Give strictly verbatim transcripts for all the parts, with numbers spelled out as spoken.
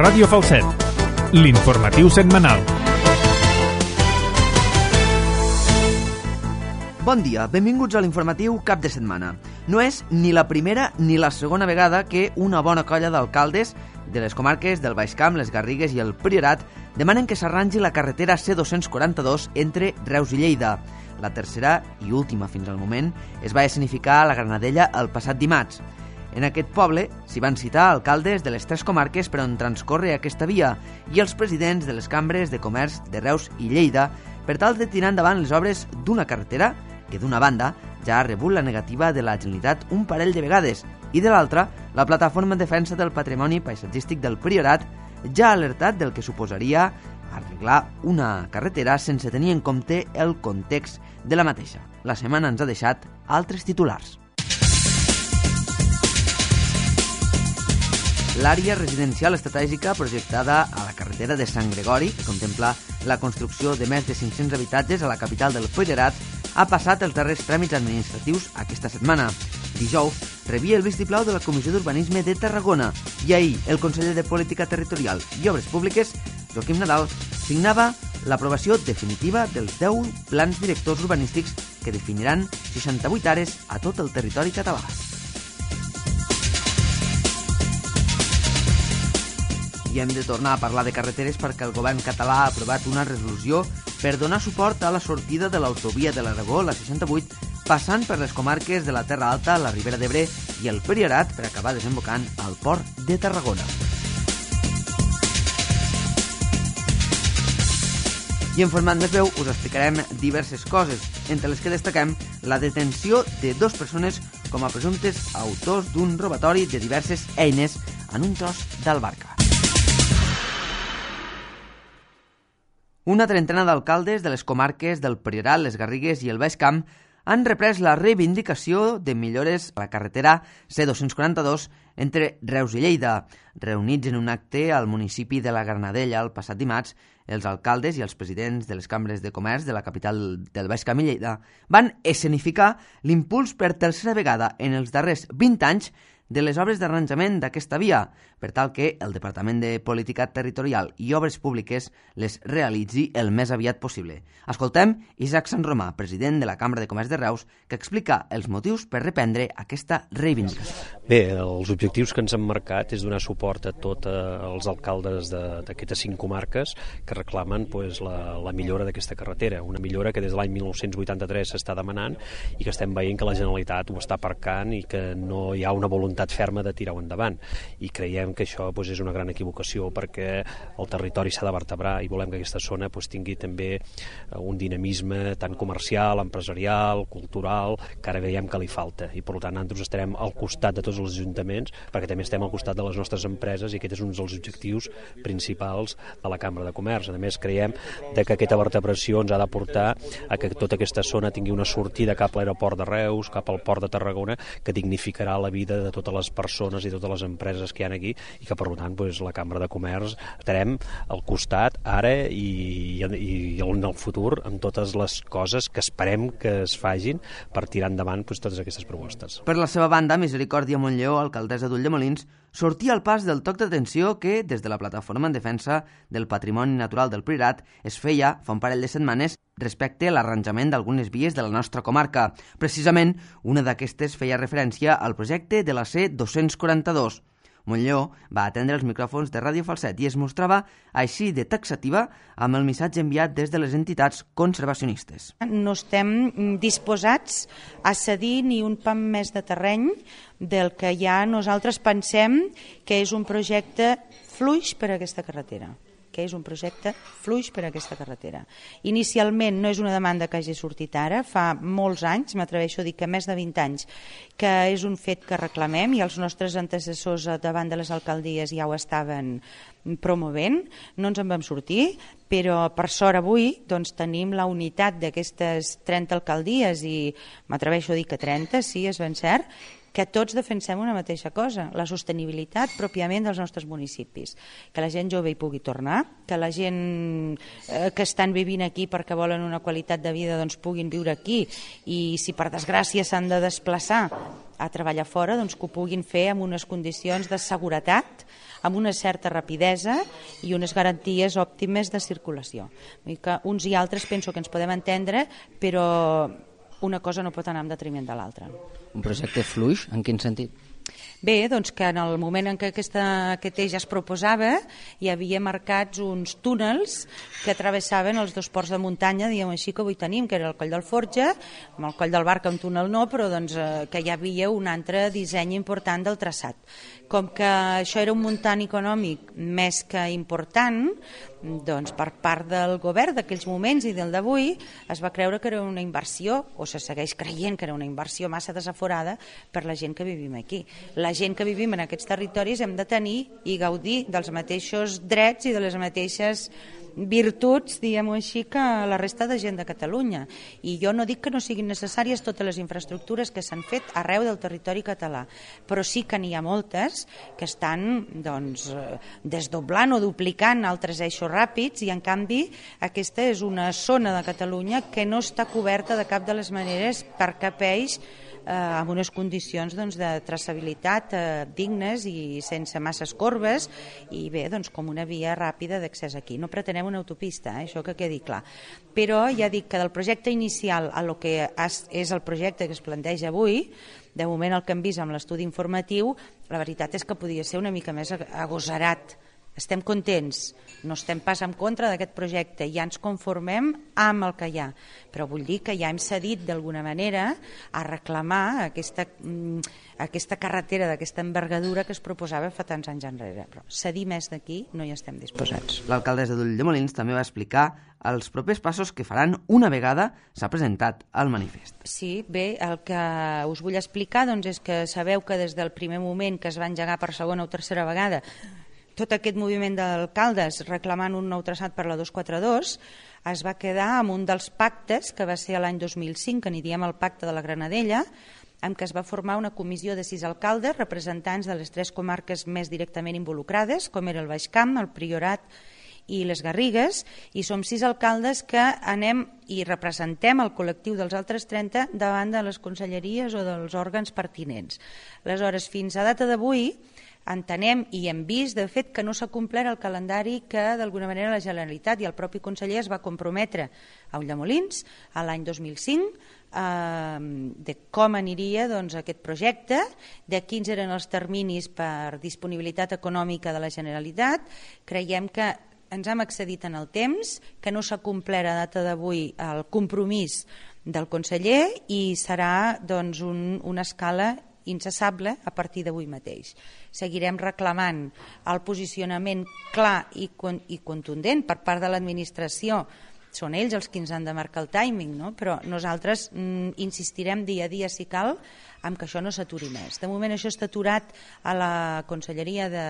Ràdio Falset, l'informatiu setmanal. Bon dia, benvinguts a l'informatiu cap de setmana. No és ni la primera ni la segona vegada que una bona colla d'alcaldes de les comarques del Baix Camp, les Garrigues i el Priorat demanen que s'arrangi la carretera C dos-cents quaranta-dos entre Reus i Lleida. La tercera i última fins al moment es va escenificar a la Granadella el passat dimarts. En aquest poble s'hi van citar alcaldes de les tres comarques per on transcorre aquesta via i els presidents de les cambres de comerç de Reus i Lleida per tal de tirar endavant les obres d'una carretera que d'una banda ja ha rebut la negativa de la Generalitat un parell de vegades i de l'altra, la Plataforma en Defensa del Patrimoni Paisatgístic del Priorat ja ha alertat del que suposaria arreglar una carretera sense tenir en compte el context de la mateixa. La setmana ens ha deixat altres titulars. L'àrea residencial estratègica projectada a la carretera de Sant Gregori, que contempla la construcció de més de cinc-cents habitatges a la capital del Priorat, ha passat els darrers tràmits administratius aquesta setmana. Dijous rebia el vistiplau de la Comissió d'Urbanisme de Tarragona i ahir el conseller de Política Territorial i Obres Públiques, Joaquim Nadal, signava l'aprovació definitiva dels deu plans directors urbanístics que definiran seixanta-vuit àrees a tot el territori català. I hem de tornar a parlar de carreteres perquè el govern català ha aprovat una resolució per donar suport a la sortida de l'autovia de l'Aragó, la seixanta-vuit, passant per les comarques de la Terra Alta, la Ribera d'Ebre i el Priorat per acabar desembocant al port de Tarragona. I en format més breu us explicarem diverses coses, entre les que destaquem la detenció de dues persones com a presumptes autors d'un robatori de diverses eines en un tros d'Albarca. Una trentena d'alcaldes de les comarques del Priorat, les Garrigues i el Baix Camp han reprès la reivindicació de millores a la carretera C dos-cents quaranta-dos entre Reus i Lleida. Reunits en un acte al municipi de la Granadella el passat dimarts, els alcaldes i els presidents de les cambres de comerç de la capital del Baix Camp i Lleida van escenificar l'impuls per tercera vegada en els darrers vint anys de les obres d'arranjament d'aquesta via, per tal que el Departament de Política Territorial i Obres Públiques les realitzi el més aviat possible. Escoltem Isaac Sant Romà, president de la Cambra de Comerç de Reus, que explica els motius per reprendre aquesta reivindicació. Bé, els objectius que ens han marcat és donar suport a tots els alcaldes d'aquestes cinc comarques que reclamen pues, la, la millora d'aquesta carretera, una millora que des de l'any mil nou-cents vuitanta-tres s'està demanant i que estem veient que la Generalitat ho està aparcant i que no hi ha una voluntat ferma de tirar-ho endavant. I creiem que això pues, és una gran equivocació perquè el territori s'ha de vertebrar i volem que aquesta zona pues, tingui també un dinamisme tant comercial, empresarial, cultural, que ara veiem que li falta. I per tant nosaltres estarem al costat de tots els ajuntaments perquè també estem al costat de les nostres empreses i aquest és un dels objectius principals de la Cambra de Comerç. A més, creiem de que aquesta vertebració ens ha de portar a que tota aquesta zona tingui una sortida cap a l'aeroport de Reus, cap al port de Tarragona, que dignificarà la vida de totes les persones i totes les empreses que hi ha aquí i que per tant doncs, la Cambra de Comerç estarem al costat ara i, i, i en el futur amb totes les coses que esperem que es fagin per tirar endavant doncs, totes aquestes propostes. Per la seva banda, Misericòrdia Montlló, alcaldessa d'Ulldemolins, sortia al pas del toc d'atenció que, des de la Plataforma en Defensa del Patrimoni Natural del Priorat, es feia fa un parell de setmanes respecte a l'arranjament d'algunes vies de la nostra comarca. Precisament, una d'aquestes feia referència al projecte de la C dos-cents quaranta-dos. Montlló va atendre els micròfons de Ràdio Falset i es mostrava així de taxativa amb el missatge enviat des de les entitats conservacionistes. No estem disposats a cedir ni un pam més de terreny del que ja nosaltres pensem que és un projecte fluix per a aquesta carretera. que és un projecte fluix per a aquesta carretera. Inicialment no és una demanda que hagi sortit ara, fa molts anys, m'atreveixo a dir que més de vint anys, que és un fet que reclamem i els nostres antecessors davant de les alcaldies ja ho estaven promovent, no ens en vam sortir, però per sort avui doncs, tenim la unitat d'aquestes trenta alcaldies i m'atreveixo a dir que trenta, sí, és ben cert, que tots defensem una mateixa cosa, la sostenibilitat pròpiament dels nostres municipis, que la gent jove hi pugui tornar, que la gent eh, que estan vivint aquí perquè volen una qualitat de vida doncs puguin viure aquí i si per desgràcia s'han de desplaçar a treballar fora, doncs que ho puguin fer amb unes condicions de seguretat, amb una certa rapidesa i unes garanties òptimes de circulació. Vull dir que uns i altres penso que ens podem entendre, però una cosa no pot anar en detriment de l'altra. Un projecte fluix, en quin sentit? Bé, doncs que en el moment en què aquesta, aquest eix es proposava hi havia marcats uns túnels que travessaven els dos ports de muntanya, diguem així, que avui tenim, que era el Coll del Forja, amb el Coll del Barca un túnel no, però doncs, eh, que hi havia un altre disseny important del traçat. Com que això era un muntant econòmic més que important, doncs per part del govern d'aquells moments i del d'avui es va creure que era una inversió, o se segueix creient que era una inversió massa desaforada per la gent que vivim aquí. La gent que vivim en aquests territoris hem de tenir i gaudir dels mateixos drets i de les mateixes virtuts, diguem-ho així, que la resta de gent de Catalunya. I jo no dic que no siguin necessàries totes les infraestructures que s'han fet arreu del territori català, però sí que n'hi ha moltes que estan doncs, desdoblant o duplicant altres eixos ràpids i en canvi aquesta és una zona de Catalunya que no està coberta de cap de les maneres per cap eix eh, amb unes condicions doncs, de traçabilitat eh, dignes i sense masses corbes i bé, doncs, com una via ràpida d'accés aquí. No pretenem una autopista, eh, això que quedi clar. Però ja dic que del projecte inicial a lo que és el projecte que es planteja avui, de moment el que hem vist amb l'estudi informatiu, la veritat és que podia ser una mica més agosarat. Estem contents, no estem pas en contra d'aquest projecte, ja ens conformem amb el que hi ha, però vull dir que ja hem cedit d'alguna manera a reclamar aquesta, aquesta carretera d'aquesta envergadura que es proposava fa tants anys enrere, però cedir més d'aquí no hi estem disposats. L'alcaldessa d'Ulldemolins també va explicar els propers passos que faran una vegada s'ha presentat el manifest. Sí, bé, el que us vull explicar doncs, és que sabeu que des del primer moment que es va engegar per segona o tercera vegada tot aquest moviment d'alcaldes reclamant un nou traçat per la dos cents quaranta dos es va quedar amb un dels pactes que va ser l'any dos mil cinc, que n'hi diem el pacte de la Granadella, en què es va formar una comissió de sis alcaldes representants de les tres comarques més directament involucrades, com era el Baix Camp, el Priorat i les Garrigues, i som sis alcaldes que anem i representem el col·lectiu dels altres trenta davant de les conselleries o dels òrgans pertinents. Aleshores, fins a data d'avui, entenem i hem vist, de fet, que no s'ha complert el calendari que d'alguna manera la Generalitat i el propi conseller es va comprometre a Ulldemolins a l'any dos mil cinc eh, de com aniria doncs, aquest projecte, de quins eren els terminis per disponibilitat econòmica de la Generalitat. Creiem que ens hem excedit en el temps, que no s'ha complert a data d'avui el compromís del conseller i serà doncs, un, una escala incessable a partir d'avui mateix. Seguirem reclamant el posicionament clar i, i contundent per part de l'administració. Són ells els que ens han de marcar el timing, no? Però nosaltres mm, insistirem dia a dia, si cal, en que això no s'aturi més. De moment això està aturat a la Conselleria de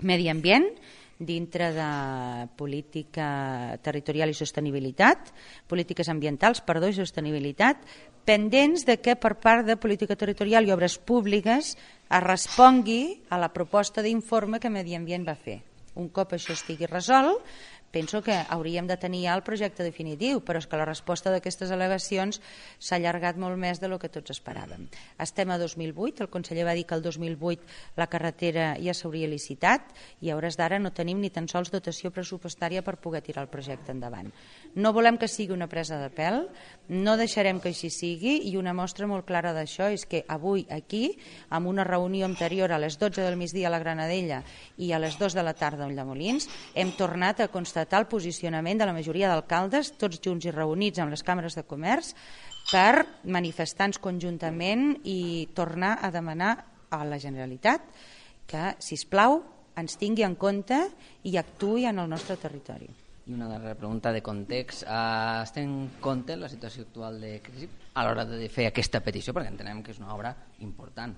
Medi Ambient, dintre de política territorial i sostenibilitat, polítiques ambientals, perdó, i sostenibilitat, pendents de que per part de política territorial i obres públiques es respongui a la proposta d'informe que Medi Ambient va fer. Un cop això estigui resolt, penso que hauríem de tenir ja el projecte definitiu, però és que la resposta d'aquestes al·legacions s'ha allargat molt més del que tots esperàvem. Estem a dos mil vuit, el conseller va dir que el dos mil vuit la carretera ja s'hauria licitat i a hores d'ara no tenim ni tan sols dotació pressupostària per poder tirar el projecte endavant. No volem que sigui una presa de pèl, no deixarem que així sigui i una mostra molt clara d'això és que avui aquí, amb una reunió anterior a les dotze del migdia a la Granadella i a les dues de la tarda a Ulldemolins, hem tornat a constatar el posicionament de la majoria d'alcaldes, tots junts i reunits amb les càmeres de comerç, per manifestar-nos conjuntament i tornar a demanar a la Generalitat que, sisplau, ens tingui en compte i actuï en el nostre territori. I una darrera pregunta de context. Uh, es té en compte la situació actual de crisi a l'hora de fer aquesta petició, perquè entenem que és una obra important?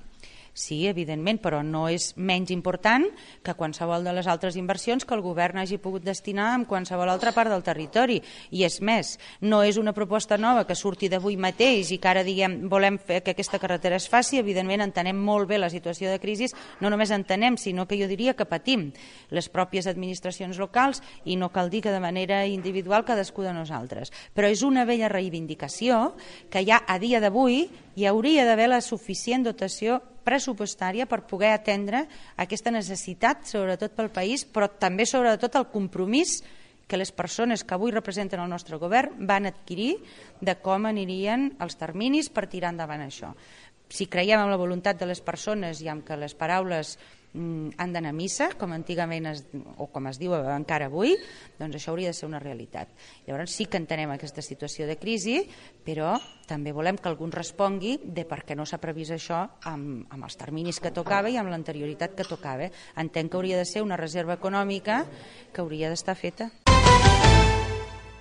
sí, evidentment, però no és menys important que qualsevol de les altres inversions que el govern hagi pogut destinar en qualsevol altra part del territori. I és més, no és una proposta nova que surti d'avui mateix i que ara diguem volem fer que aquesta carretera es faci. Evidentment entenem molt bé la situació de crisi, no només entenem, sinó que jo diria que patim les pròpies administracions locals i no cal dir que de manera individual cadascú de nosaltres. Però és una vella reivindicació que ja a dia d'avui hi hauria d'haver la suficient dotació pressupostària per poder atendre aquesta necessitat, sobretot pel país, però també sobretot el compromís que les persones que avui representen el nostre govern van adquirir de com anirien els terminis per tirar endavant això. Si creiem en la voluntat de les persones i en que les paraules mm, han d'anar a missa, com antigament es, o com es diu encara avui, doncs això hauria de ser una realitat. Llavors sí que entenem aquesta situació de crisi, però també volem que algú respongui de per què no s'ha previst això amb, amb els terminis que tocava i amb l'anterioritat que tocava. Entenc que hauria de ser una reserva econòmica que hauria d'estar feta.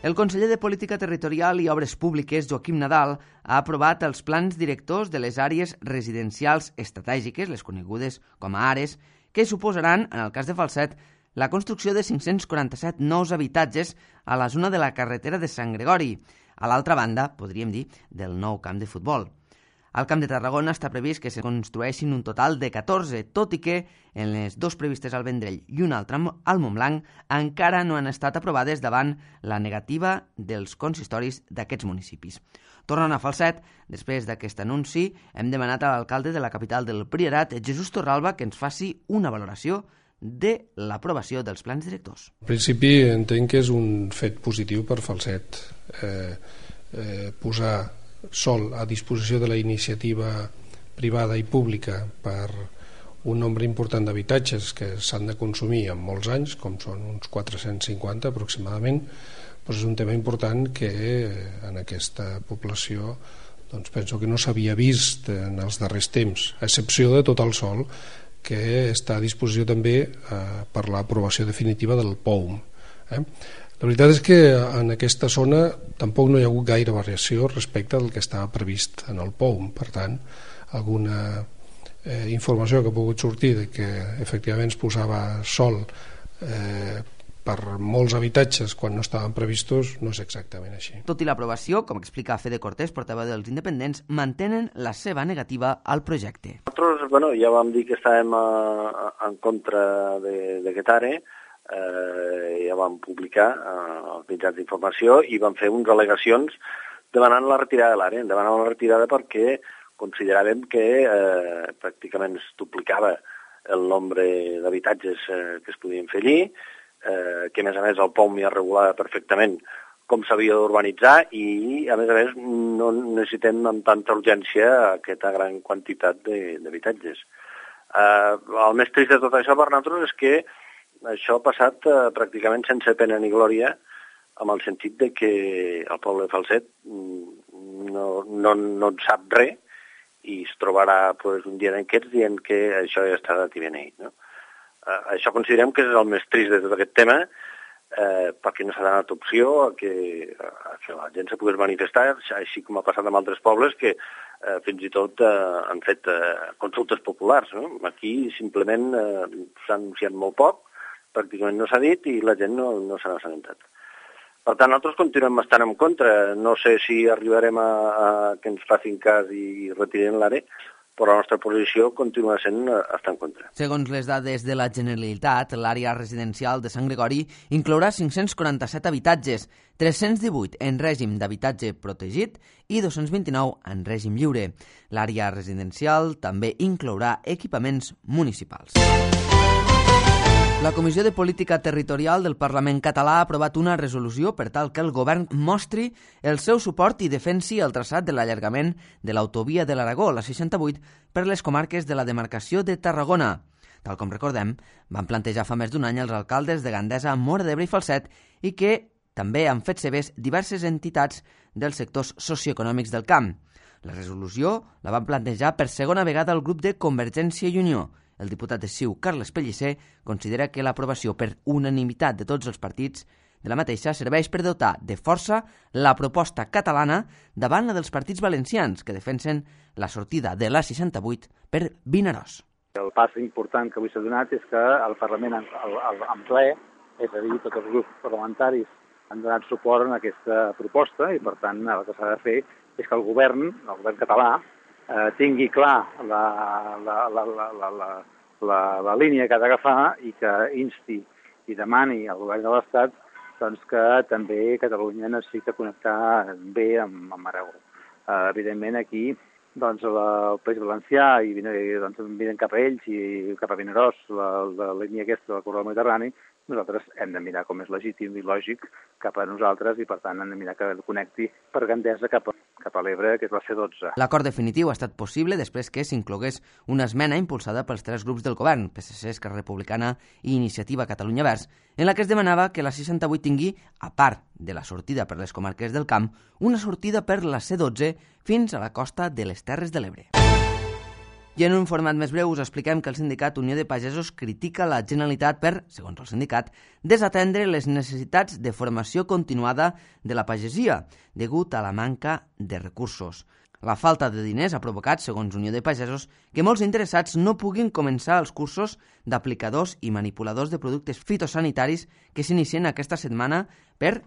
El conseller de Política Territorial i Obres Públiques, Joaquim Nadal, ha aprovat els plans directors de les àrees residencials estratègiques, les conegudes com a ARES, que suposaran, en el cas de Falset, la construcció de cinc-cents quaranta-set nous habitatges a la zona de la carretera de Sant Gregori, a l'altra banda, podríem dir, del nou camp de futbol. Al Camp de Tarragona està previst que se construeixin un total de catorze, tot i que en les dos previstes al Vendrell i una altra al Montblanc encara no han estat aprovades davant la negativa dels consistoris d'aquests municipis. Tornant a Falset, després d'aquest anunci, hem demanat a l'alcalde de la capital del Priorat, Jesús Torralba, que ens faci una valoració de l'aprovació dels plans directors. En principi entenc que és un fet positiu per Falset. Eh, eh, posar sol a disposició de la iniciativa privada i pública per un nombre important d'habitatges que s'han de consumir en molts anys, com són uns quatre-cents cinquanta aproximadament, doncs és un tema important que en aquesta població doncs penso que no s'havia vist en els darrers temps, a excepció de tot el sol que està a disposició també eh, per l'aprovació definitiva del P O U M. Eh? La veritat és que en aquesta zona tampoc no hi ha hagut gaire variació respecte del que estava previst en el P O U M. Per tant, alguna eh, informació que ha pogut sortir de que efectivament es posava sol eh, per molts habitatges quan no estaven previstos no és exactament així. Tot i l'aprovació, com explica Fede Cortés, portaveu dels independents, mantenen la seva negativa al projecte. Nosaltres bueno, ja vam dir que estàvem a, a, en contra d'aquest àrea. Eh, ja vam publicar eh, els mitjans d'informació i vam fer unes al·legacions demanant la retirada de l'àrea, demanant la retirada perquè consideràvem que eh, pràcticament es duplicava el nombre d'habitatges eh, que es podien fer allí, eh, que a més a més el P O U M ja regulava perfectament com s'havia d'urbanitzar i a més a més no necessitem amb tanta urgència aquesta gran quantitat d'habitatges. Eh, el més trist de tot això per nosaltres és que això ha passat eh, pràcticament sense pena ni glòria, amb el sentit de que el poble de Falset no, no, no en sap res i es trobarà pues, un dia d'aquests dient que això ja està de beneït. No? Eh, això considerem que és el més trist de tot aquest tema, eh, perquè no s'ha donat opció a que, a que la gent se pogués manifestar, així com ha passat amb altres pobles que eh, fins i tot eh, han fet eh, consultes populars. No? Aquí simplement eh, s'ha anunciat molt poc, pràcticament no s'ha dit i la gent no, no s'ha assabentat. Per tant, nosaltres continuem estant en contra. No sé si arribarem a, a que ens facin cas i retirem l'àrea, però la nostra posició continua sent estar en contra. Segons les dades de la Generalitat, l'àrea residencial de Sant Gregori inclourà cinc-cents quaranta-set habitatges, tres-cents divuit en règim d'habitatge protegit i dos-cents vint-i-nou en règim lliure. L'àrea residencial també inclourà equipaments municipals. La Comissió de Política Territorial del Parlament català ha aprovat una resolució per tal que el govern mostri el seu suport i defensi el traçat de l'allargament de l'autovia de l'Aragó, la seixanta-vuit, per les comarques de la demarcació de Tarragona. Tal com recordem, van plantejar fa més d'un any els alcaldes de Gandesa, Móra d'Ebre i Falset i que també han fet seves diverses entitats dels sectors socioeconòmics del camp. La resolució la van plantejar per segona vegada el grup de Convergència i Unió. El diputat de C I U, Carles Pellicer, considera que l'aprovació per unanimitat de tots els partits de la mateixa serveix per dotar de força la proposta catalana davant la dels partits valencians que defensen la sortida de l'A seixanta-vuit per Vinaròs. El pas important que avui s'ha donat és que el Parlament en ple, és a dir, tots els grups parlamentaris han donat suport a aquesta proposta i, per tant, el que s'ha de fer és que el govern, el govern català, eh, tingui clar la, la, la, la, la, la, la, la línia que ha d'agafar i que insti i demani al govern de l'Estat doncs, que també Catalunya necessita connectar bé amb, amb Aragó. Eh, evidentment, aquí doncs, la, el País Valencià i doncs, miren cap a ells i cap a Vinaròs, la, la línia aquesta del corredor mediterrani, nosaltres hem de mirar com és legítim i lògic cap a nosaltres i, per tant, hem de mirar que connecti per Gandesa cap a, cap a l'Ebre, que és la C dotze. L'acord definitiu ha estat possible després que s'inclogués una esmena impulsada pels tres grups del govern, P S C, Esquerra Republicana i Iniciativa Catalunya Verds, en la que es demanava que la seixanta-vuit tingui, a part de la sortida per les comarques del Camp, una sortida per la C dotze fins a la costa de les Terres de l'Ebre. I en un format més breu us expliquem que el sindicat Unió de Pagesos critica la Generalitat per, segons el sindicat, desatendre les necessitats de formació continuada de la pagesia, degut a la manca de recursos. La falta de diners ha provocat, segons Unió de Pagesos, que molts interessats no puguin començar els cursos d'aplicadors i manipuladors de productes fitosanitaris que s'inicien aquesta setmana per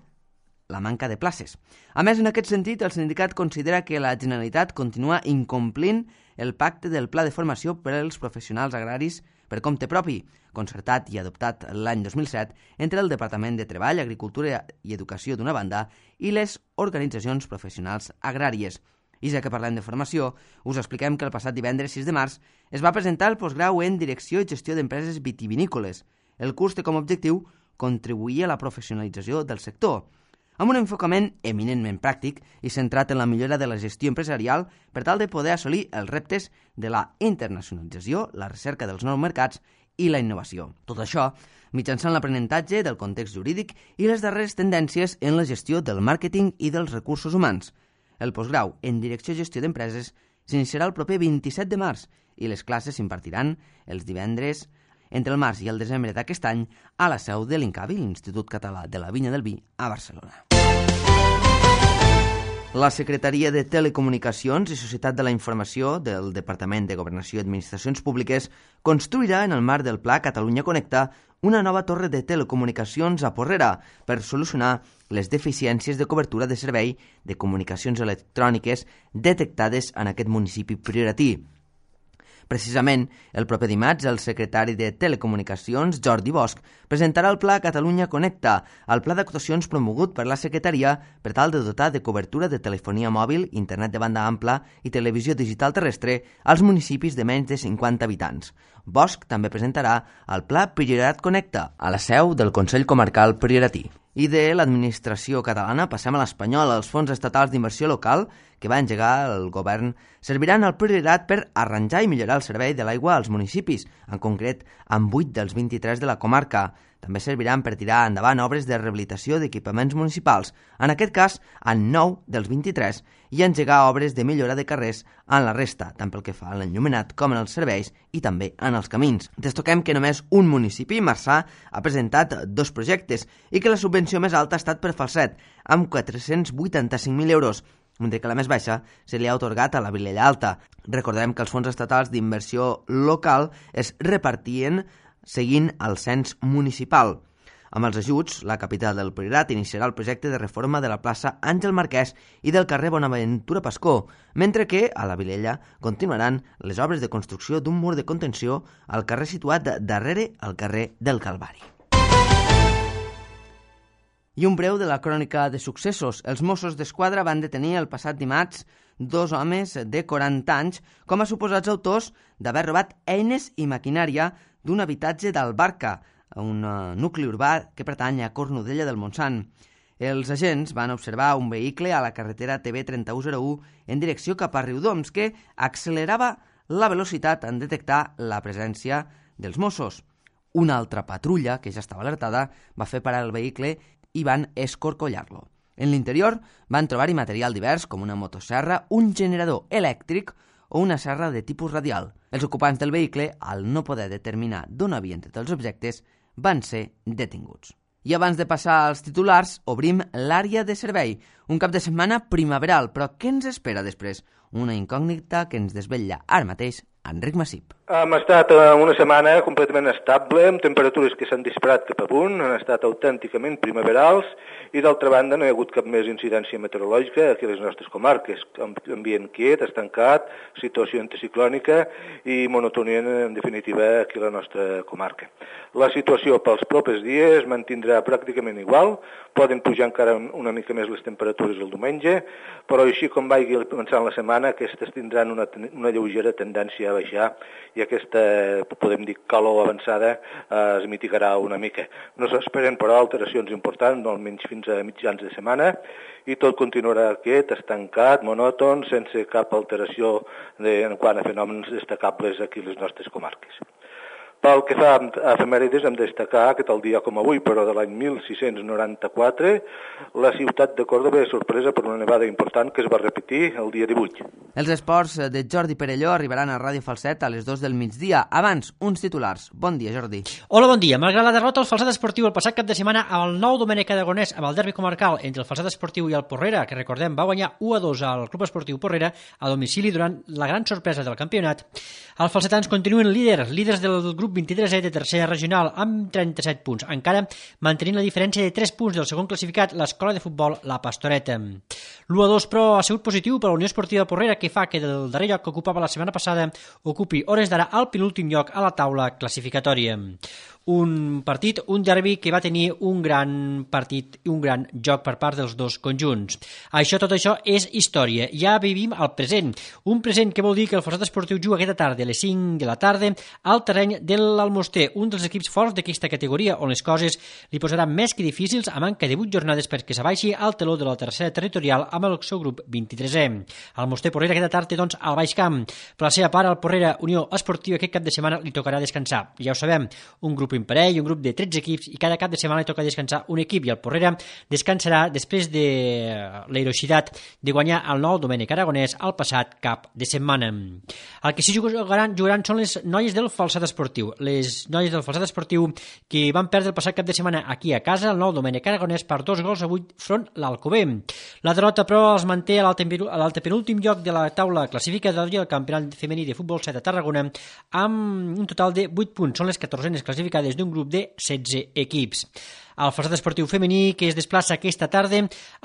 la manca de places. A més, en aquest sentit, el sindicat considera que la Generalitat continua incomplint el pacte del Pla de Formació per als professionals agraris per compte propi, concertat i adoptat l'any dos mil set entre el Departament de Treball, Agricultura i Educació d'una banda i les organitzacions professionals agràries. I ja que parlem de formació, us expliquem que el passat divendres sis de març es va presentar el postgrau en Direcció i Gestió d'Empreses Vitivinícoles. El curs té com a objectiu contribuir a la professionalització del sector, amb un enfocament eminentment pràctic i centrat en la millora de la gestió empresarial per tal de poder assolir els reptes de la internacionalització, la recerca dels nous mercats i la innovació. Tot això mitjançant l'aprenentatge del context jurídic i les darreres tendències en la gestió del màrqueting i dels recursos humans. El postgrau en Direcció i Gestió d'Empreses s'iniciarà el proper vint-i-set de març i les classes s'impartiran els divendres entre el març i el desembre d'aquest any a la seu de l'INCAVI, l'Institut Català de la Vinya del Vi, a Barcelona. La Secretaria de Telecomunicacions i Societat de la Informació del Departament de Governació i Administracions Públiques construirà en el marc del Pla Catalunya Connecta una nova torre de telecomunicacions a Porrera per solucionar les deficiències de cobertura de servei de comunicacions electròniques detectades en aquest municipi prioritari. Precisament, el proper dimarts, el secretari de Telecomunicacions, Jordi Bosch, presentarà el Pla Catalunya Connecta, el pla d'actuacions promogut per la Secretaria per tal de dotar de cobertura de telefonia mòbil, internet de banda ampla i televisió digital terrestre als municipis de menys de cinquanta habitants. Bosch també presentarà el Pla Priorat Connecta, a la seu del Consell Comarcal Prioratí. I de l'administració catalana passem a l'espanyol. Els fons estatals d'inversió local que va engegar el govern serviran al Priorat per arranjar i millorar el servei de l'aigua als municipis, en concret amb vuit dels vint-i-tres de la comarca. També serviran per tirar endavant obres de rehabilitació d'equipaments municipals, en aquest cas en nou dels vint-i-tres, i engegar obres de millora de carrers en la resta, tant pel que fa a l'enllumenat com en els serveis i també en els camins. Destaquem que només un municipi, Marçà, ha presentat dos projectes i que la subvenció més alta ha estat per Falset, amb quatre-cents vuitanta-cinc mil euros, mentre que la més baixa se li ha atorgat a la Vilella Alta. Recordem que els fons estatals d'inversió local es repartien seguint el cens municipal. Amb els ajuts, la capital del Priorat iniciarà el projecte de reforma de la plaça Àngel Marquès i del carrer Bonaventura Pascó, mentre que a la Vilella continuaran les obres de construcció d'un mur de contenció al carrer situat darrere al carrer del Calvari. I un breu de la crònica de successos. Els Mossos d'Esquadra van detenir el passat dimarts dos homes de quaranta anys com a suposats autors d'haver robat eines i maquinària d'un habitatge d'Albarca, un nucli urbà que pertany a Cornudella del Montsant. Els agents van observar un vehicle a la carretera T B trenta u zero u en direcció cap a Riudoms que accelerava la velocitat en detectar la presència dels Mossos. Una altra patrulla, que ja estava alertada, va fer parar el vehicle i van escorcollar-lo. En l'interior van trobar-hi material divers com una motosserra, un generador elèctric o una serra de tipus radial. Els ocupants del vehicle, al no poder determinar d'on havien tret els objectes, van ser detinguts. I abans de passar als titulars, obrim l'àrea de servei. Un cap de setmana primaveral, però què ens espera després? Una incògnita que ens desvetlla ara mateix Enric Massip. Hem estat una setmana completament estable, amb temperatures que s'han disparat cap amunt, han estat autènticament primaverals i d'altra banda no hi ha hagut cap més incidència meteorològica aquí a les nostres comarques. Ambient quiet, estancat, situació anticiclònica i monotonia en definitiva aquí a la nostra comarca. La situació pels propers dies mantindrà pràcticament igual, poden pujar encara una mica més les temperatures el diumenge, però així com vagi començant la setmana, aquestes tindran una, una lleugera tendència a baixar i aquesta, podem dir, calor avançada eh, es mitigarà una mica. No s'esperen, però, alteracions importants, no almenys fins a mitjans de setmana, i tot continuarà quiet, estancat, monòton, sense cap alteració de, en quant a fenòmens destacables aquí a les nostres comarques. Pel que fa a efemèrides, hem de destacar que tal dia com avui, però de l'any mil sis-cents noranta-quatre, la ciutat de Còrdova és sorpresa per una nevada important que es va repetir el dia divuit. Els esports de Jordi Perelló arribaran a Ràdio Falset a les dues del migdia. Abans, uns titulars. Bon dia, Jordi. Hola, bon dia. Malgrat la derrota al Falset Esportiu el passat cap de setmana amb el nou Domènec Aragonès amb el derbi comarcal entre el Falset Esportiu i el Porrera, que recordem va guanyar u a dos al Club Esportiu Porrera a domicili durant la gran sorpresa del campionat, els falsetans continuen líders, líders del grup vint-i-tres E de tercera regional amb trenta-set punts, encara mantenint la diferència de tres punts del segon classificat, l'escola de futbol La Pastoreta. L'u a dos, però, ha sigut positiu per a la Unió Esportiva Porrera, que fa que del darrer lloc que ocupava la setmana passada ocupi hores d'ara al penúltim lloc a la taula classificatòria. Un partit, un derbi que va tenir un gran partit i un gran joc per part dels dos conjunts. Això, tot això és història. Ja vivim el present. Un present que vol dir que el Falset Esportiu juga aquesta tarda a les cinc de la tarda al terreny de l'Almoster, un dels equips forts d'aquesta categoria, on les coses li posaran més que difícils a manca de vuit jornades perquè s'abaixi al teló de la tercera territorial amb el seu grup vint-i-tres E. Almoster Porrera aquesta tarda, doncs, al Baix Camp. Per la seva part, al Porrera Unió Esportiva aquest cap de setmana li tocarà descansar. Ja ho sabem, un grup imparell, un grup de tretze equips i cada cap de setmana li toca descansar un equip i el Porrera descansarà després de l'heroïcitat de guanyar el nou Domènec Aragonès al passat cap de setmana. El que sí jugaran, jugaran són les noies del Falset Esportiu. Les noies del Falset Esportiu que van perdre el passat cap de setmana aquí a casa, el nou Domènec Aragonès per dos gols a vuit front l'Alcover. La derrota, però, els manté a l'altepenúltim lloc de la taula classificatòria del Campionat Femení de Futbol set a Tarragona amb un total de vuit punts. Són les catorzenes classificades d'un grup de setze equips. El Falset Esportiu Femení que es desplaça aquesta tarda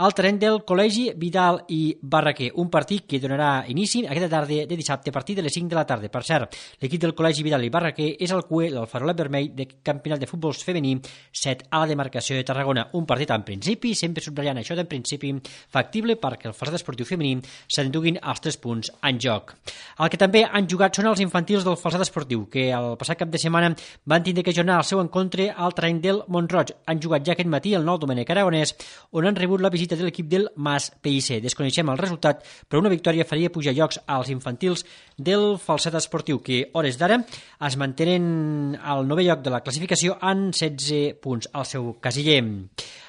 al terreny del Col·legi Vidal i Barraquer, un partit que donarà inici aquesta tarda de dissabte a partir de les cinc de la tarda. Per cert, l'equip del Col·legi Vidal i Barraquer és el cué del farolet vermell del Campionat de Futbol Femení set a la demarcació de Tarragona. Un partit en principi, sempre subratllant això d'en principi, factible perquè el Falset Esportiu Femení s'enduguin els tres punts en joc. El que també han jugat són els infantils del Falset Esportiu, que el passat cap de setmana van tindre que ajornar el seu encontre al terreny del Montroig. Han jugat ja aquest matí el nou Domènec Aragonès, on han rebut la visita de l'equip del Mas P I C. Desconeixem el resultat, però una victòria faria pujar llocs als infantils del Falset Esportiu, que hores d'ara es mantenen al novè lloc de la classificació en setze punts al seu casiller.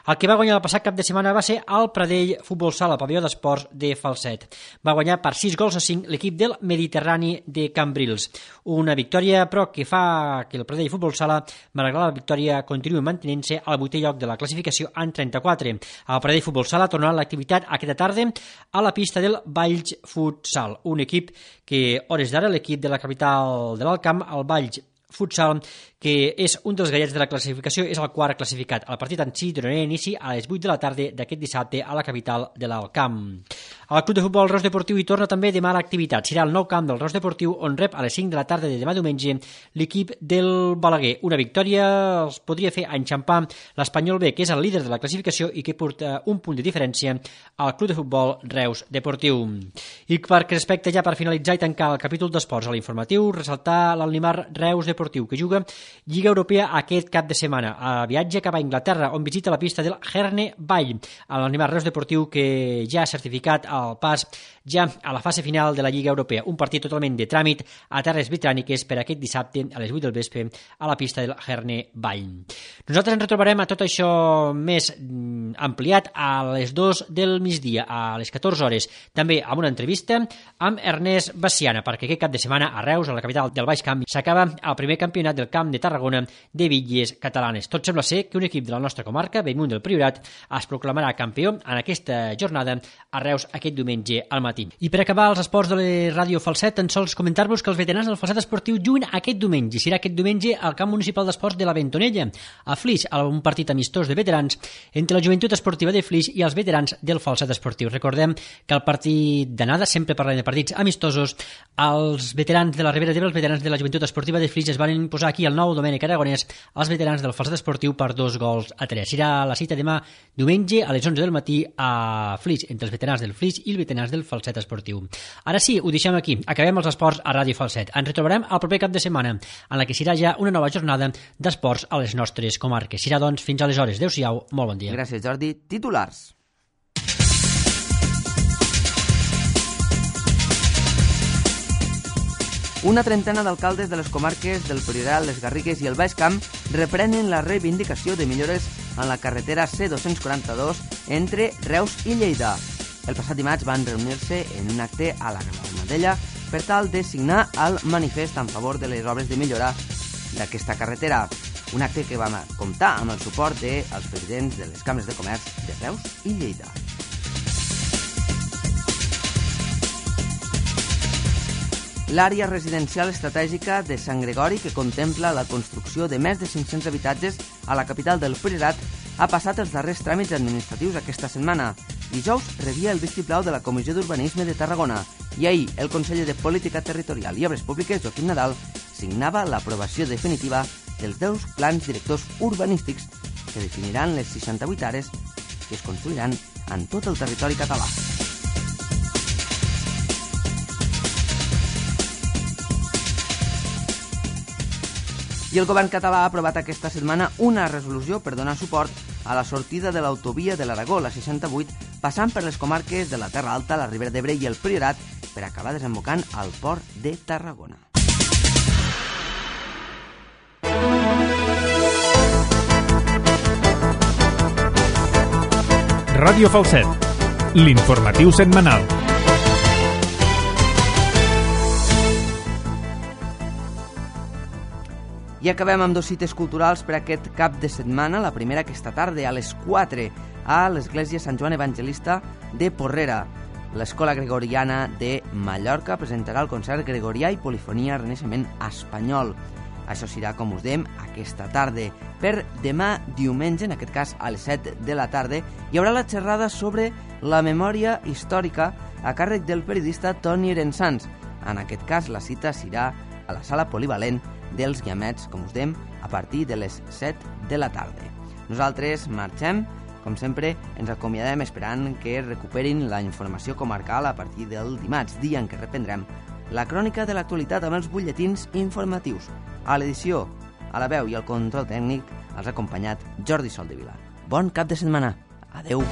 El que va guanyar el passat cap de setmana va ser el Pradell Futbol Sala, pavelló d'esports de Falset. Va guanyar per sis gols a cinc l'equip del Mediterrani de Cambrils. Una victòria, però, que fa que el Pradell Futbol Sala, malgrat la victòria, continuï mantenint-se al vuitè lloc de la classificació en trenta-quatre. El Pradell Futbol Sala tornarà a l'activitat aquesta tarda a la pista del Valls Futsal, un equip que, hores d'ara, l'equip de la capital de l'Alt Camp, el Valls Futsal, que és un dels gallets de la classificació, és el quart classificat. El partit en si donarà inici a les vuit de la tarda d'aquest dissabte a la capital de l'Alt Camp. El Club de Futbol Reus Deportiu hi torna també demà a l'activitat. Serà el nou camp del Reus Deportiu, on rep a les cinc de la tarda de demà diumenge l'equip del Balaguer. Una victòria els podria fer enxampar l'Espanyol B, que és el líder de la classificació i que porta un punt de diferència al Club de Futbol Reus Deportiu. I perquè respecte ja per finalitzar i tancar el capítol d'esports a l'informatiu, ressaltar l'Almimar Reus Deportiu, que juga Lliga Europea aquest cap de setmana. A viatge cap a Anglaterra, on visita la pista del Herne Vall. L'Almimar Reus Deportiu, que ja ha certificat el pas ja a la fase final de la Lliga Europea. Un partit totalment de tràmit a terres britàniques per aquest dissabte a les vuit del vespre a la pista del Herne Vall. Nosaltres ens retrobarem a tot això més ampliat a les dues del migdia, a les catorze hores, també amb una entrevista amb Ernest Baciana, perquè aquest cap de setmana a Reus, a la capital del Baix Camp, s'acaba el primer campionat del camp de de Tarragona de bitlles catalanes. Tot sembla ser que un equip de la nostra comarca, Bellmunt del Priorat, es proclamarà campió en aquesta jornada a Reus aquest diumenge al matí. I per acabar els esports de la Ràdio Falset, tan sols comentar-vos que els veterans del Falset Esportiu juguen aquest diumenge. Serà aquest diumenge al camp municipal d'esports de la Bentonella, a Flix, a un partit amistós de veterans entre la joventut esportiva de Flix i els veterans del Falset Esportiu. Recordem que el partit d'anada, sempre parlem de partits amistosos, els veterans de la Ribera d'Ebre, els veterans de la joventut esportiva de Flix es van imposar aquí al nou Domènec Aragonès als veterans del Falset Esportiu per dos gols a tres. Serà la cita demà diumenge a les onze del matí a Flix, entre els veterans del Flix i els veterans del Falset Esportiu. Ara sí, ho deixem aquí. Acabem els esports a Ràdio Falset. Ens retrobarem el proper cap de setmana, en la que serà ja una nova jornada d'esports a les nostres comarques. Serà, doncs, fins aleshores. Adéu-siau, molt bon dia. Gràcies, Jordi. Titulars. Una trentena d'alcaldes de les comarques del Priorat, les Garrigues i el Baix Camp reprenen la reivindicació de millores en la carretera C dos quaranta-dos entre Reus i Lleida. El passat dimarts van reunir-se en un acte a la Granadella per tal de signar el manifest en favor de les obres de millora d'aquesta carretera. Un acte que va comptar amb el suport dels presidents de les cambres de comerç de Reus i Lleida. L'àrea residencial estratègica de Sant Gregori, que contempla la construcció de més de cinc-cents habitatges a la capital del Priorat, ha passat els darrers tràmits administratius aquesta setmana. Dijous rebia el vistiplau de la Comissió d'Urbanisme de Tarragona i ahir el conseller de Política Territorial i Obres Públiques, Joaquim Nadal, signava l'aprovació definitiva dels deu plans directors urbanístics que definiran les seixanta-vuit àrees que es construiran en tot el territori català. I el govern català ha aprovat aquesta setmana una resolució per donar suport a la sortida de l'autovia de l'Aragó, la seixanta-vuit, passant per les comarques de la Terra Alta, la Ribera d'Ebre i el Priorat per acabar desembocant al port de Tarragona. Ràdio Falset, l'informatiu setmanal. I acabem amb dos cites culturals per aquest cap de setmana. La primera aquesta tarda a les quatre a l'Església Sant Joan Evangelista de Porrera. L'Escola Gregoriana de Mallorca presentarà el concert Gregorià i Polifonia Renaixement Espanyol. Això serà, com us dèiem, aquesta tarda. Per demà diumenge, en aquest cas a les set de la tarda, hi haurà la xerrada sobre la memòria històrica a càrrec del periodista Toni Erensans. En aquest cas, la cita serà a la sala polivalent dels Guiamets, com us dèiem, a partir de les set de la tarda. Nosaltres marxem, com sempre, ens acomiadem esperant que recuperin la informació comarcal a partir del dimarts, dia en què reprendrem la crònica de l'actualitat amb els butlletins informatius. A l'edició, a la veu i al control tècnic els ha acompanyat Jordi Soldevila. Bon cap de setmana. Adeu.